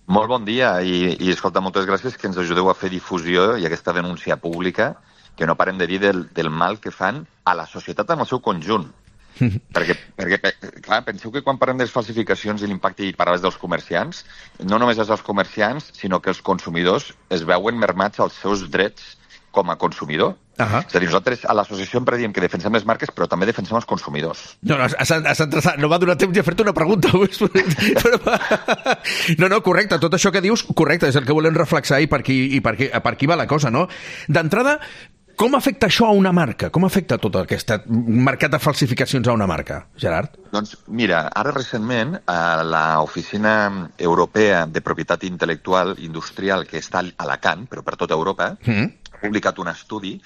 Molt bon dia i escolta, moltes gràcies que ens ajudeu a fer difusió i aquesta denúncia pública que no parem de dir del mal que fan a la societat en el seu conjunt. perquè, clar, penseu que quan parlem de les falsificacions i l'impacte i parlaves dels comerciants, no només és els comerciants, sinó que els consumidors es veuen mermats als seus drets com a consumidor. És a dir, nosaltres a l'associació sempre diem que defensem les marques, però també defensem els consumidors. No, no va donar temps de fer-te una pregunta. No, correcte, tot això que dius, correcte, és el que volem reflexar i per aquí va la cosa, no? D'entrada, com afecta això a una marca? Com afecta tot aquest mercat de falsificacions a una marca, Gerard? Doncs mira, ara recentment l'Oficina Europea de Propietat Intel·lectual Industrial, que està a Alacant, però per tota Europa, ha publicat un estudi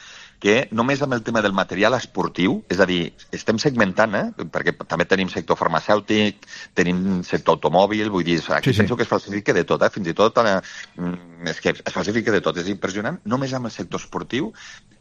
que només amb el tema del material esportiu, és a dir, estem segmentant, perquè també tenim sector farmacèutic, tenim sector automòbil, vull dir, aquí penso que es falsifica de tot, fins i tot és que es falsifica de tot, és impressionant. Només amb el sector esportiu,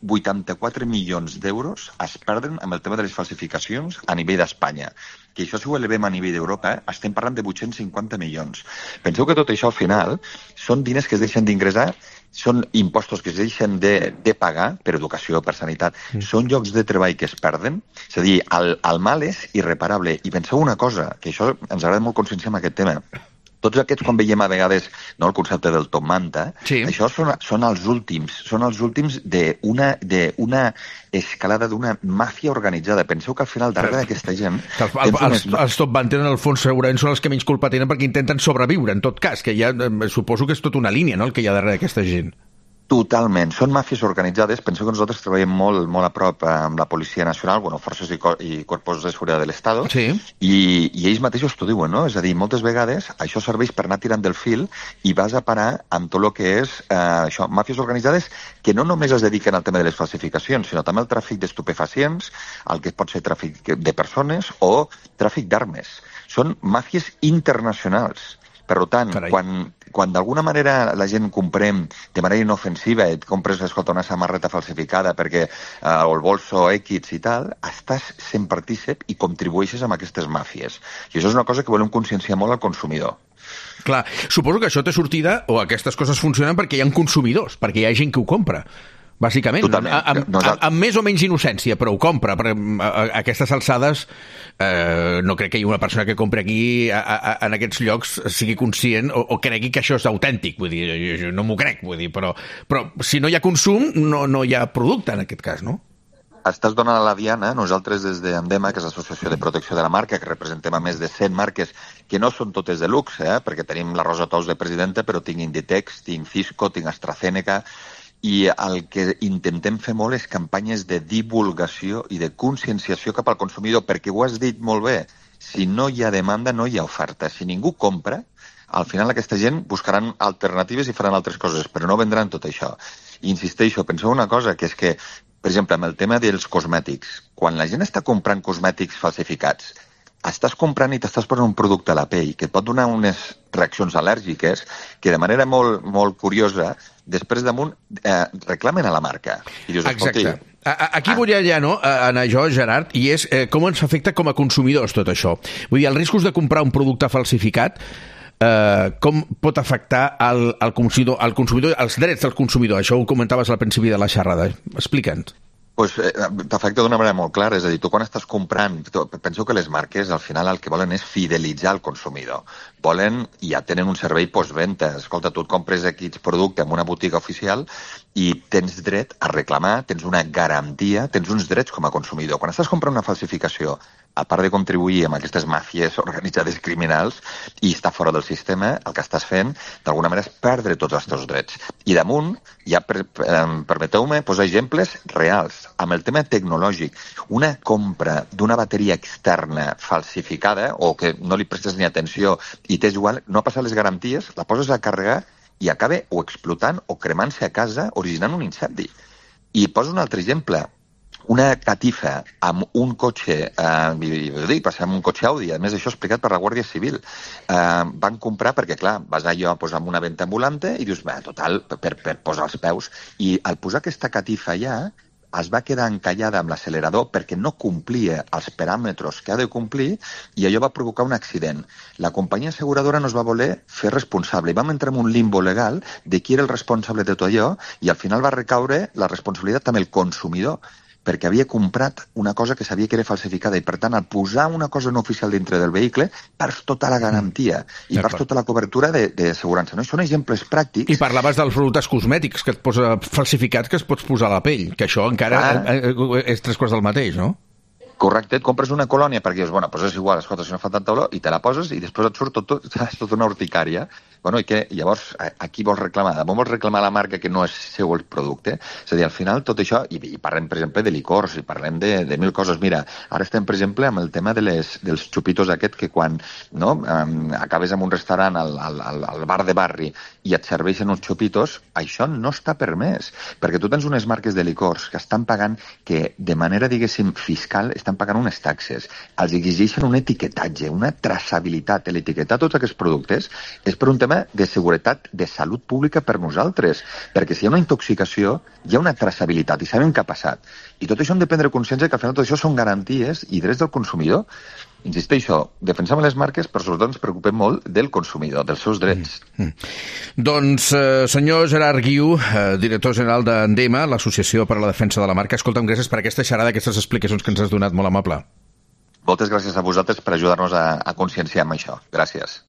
84 milions d'euros es perden amb el tema de les falsificacions a nivell d'Espanya. Que això, si ho elevem a nivell d'Europa, estem parlant de 850 milions. Penseu que tot això, al final, són diners que es deixen d'ingressar, són impostos que es deixen de pagar per educació, per sanitat, són llocs de treball que es perden, és a dir, el mal és irreparable. I penseu una cosa, que això ens agrada molt conscienciar amb aquest tema. Tots aquests, quan veiem a vegades el concepte del top manta, això són els últims d'una escalada d'una màfia organitzada. Penseu que al final, darrere d'aquesta gent... Els top manta, en el fons, segurament són els que menys culpa tenen perquè intenten sobreviure, en tot cas, que ja suposo que és tota una línia, no?, el que hi ha darrere d'aquesta gent. Totalment. Són màfies organitzades. Penseu que nosaltres treballem molt a prop amb la Policia Nacional, forces i corpos de seguretat de l'Estado, i ells mateixos t'ho diuen, no? És a dir, moltes vegades això serveix per anar tirant del fil i vas a parar amb tot el que és això, màfies organitzades que no només es dediquen al tema de les falsificacions, sinó també al tràfic d'estupefacients, al que pot ser tràfic de persones o tràfic d'armes. Són màfies internacionals. Per tant, quan d'alguna manera la gent comprem de manera inofensiva, et compres, escolta, una samarreta falsificada perquè o el bolso X i tal, estàs sent partícip i contribueixes amb aquestes màfies. I això és una cosa que volem conscienciar molt al consumidor. Clar, suposo que això té sortida, o aquestes coses funcionen perquè hi ha consumidors, perquè hi ha gent que ho compra. Bàsicament, amb més o menys innocència, però ho compra. A aquestes alçades no crec que hi hagi una persona que compri aquí en aquests llocs sigui conscient o cregui que això és autèntic, vull dir, no m'ho crec, vull dir, però si no hi ha consum no hi ha producte en aquest cas, no? Estàs donant a la diana. Nosaltres des d'Andema, que és l'Associació de Protecció de la Marca, que representem a més de 100 marques, que no són totes de luxe, perquè tenim la Rosa Tous de presidenta, però tinc Inditex, tinc Cisco, tinc AstraZeneca, i el que intentem fer molt és campanyes de divulgació i de conscienciació cap al consumidor, perquè ho has dit molt bé, si no hi ha demanda no hi ha oferta. Si ningú compra, al final aquesta gent buscaran alternatives i faran altres coses, però no vendran tot això. I insisteixo, penseu una cosa, que és que, per exemple, amb el tema dels cosmètics, quan la gent està comprant cosmètics falsificats, estàs comprant i t'estàs posant un producte a la pell que et pot donar unes reaccions al·lèrgiques que de manera molt curiosa després damunt reclamen a la marca. I dius, exacte. Aquí volia ja anar jo, Gerard, i és com ens afecta com a consumidors tot això. Vull dir, els riscos de comprar un producte falsificat, com pot afectar al consumidor, els drets del consumidor. Això ho comentaves al principi de la xerrada. Explica'ns. T'afecta d'una manera molt clara, és a dir, tu quan estàs comprant, penseu que les marques al final el que volen és fidelitzar el consumidor. Volen, i ja tenen un servei postventa. Escolta, tu et compres X producte en una botiga oficial i tens dret a reclamar, tens una garantia, tens uns drets com a consumidor. Quan estàs comprant una falsificació, a part de contribuir amb aquestes màfies organitzades criminals i estar fora del sistema, el que estàs fent, d'alguna manera, és perdre tots els teus drets. I damunt, ja permeteu-me posar exemples reals. Amb el tema tecnològic, una compra d'una bateria externa falsificada o que no li prestes ni atenció i t'és igual, no ha passat les garanties, la poses a carregar i acaba o explotant o cremant-se a casa, originant un incendi. I poso un altre exemple. Una catifa amb un cotxe, passar amb un cotxe Audi, a més això explicat per la Guàrdia Civil, van comprar perquè, clar, vas allò a posar una venta ambulante i dius, total, per posar els peus. I al posar aquesta catifa allà, es va quedar encallada amb l'accelerador perquè no complia els paràmetres que ha de complir i allò va provocar un accident. La companyia asseguradora no es va voler fer responsable i vam entrar en un limbo legal de qui era el responsable de tot allò i al final va recaure la responsabilitat amb el consumidor perquè havia comprat una cosa que sabia que era falsificada i, per tant, al posar una cosa no oficial dintre del vehicle, perds tota la garantia i perds tota la cobertura d'assegurança. No? Són exemples pràctics. I parlaves dels productes cosmètics que et posa falsificats que es pots posar a la pell, que això encara és tres quarts del mateix, no? Correcte, et compres una colònia perquè dius, bueno, doncs és igual, escolta, si no fa tanta olor, i te la poses i després et surt tota una urticària. Bueno, i que llavors, a qui vols reclamar? Vols reclamar la marca que no és seu el producte? És a dir, al final tot això, i parlem, per exemple, de licors, i parlem de mil coses. Mira, ara estem, per exemple, amb el tema dels xupitos aquest que quan acabes en un restaurant al bar de barri i et serveixen uns xupitos, això no està permès, perquè tu tens unes marques de licors que estan pagant, que de manera, diguéssim, fiscal, estan pagant unes taxes, els exigeixen un etiquetatge, una traçabilitat. L'etiquetar tots aquests productes és per un tema de seguretat, de salut pública per nosaltres, perquè si hi ha una intoxicació, hi ha una traçabilitat i sabem què ha passat. I tot això hem de prendre consciència que al final tot això són garanties i drets del consumidor. Insisteixo, defensem les marques, però sobretot ens preocupem molt del consumidor, dels seus drets. Doncs, senyor Gerard Guiu, director general d'Endema, l'Associació per a la Defensa de la Marca, escolta'm, gràcies per aquesta xerrada, aquestes explicacions que ens has donat, molt amable. Moltes gràcies a vosaltres per ajudar-nos a conscienciar amb això. Gràcies.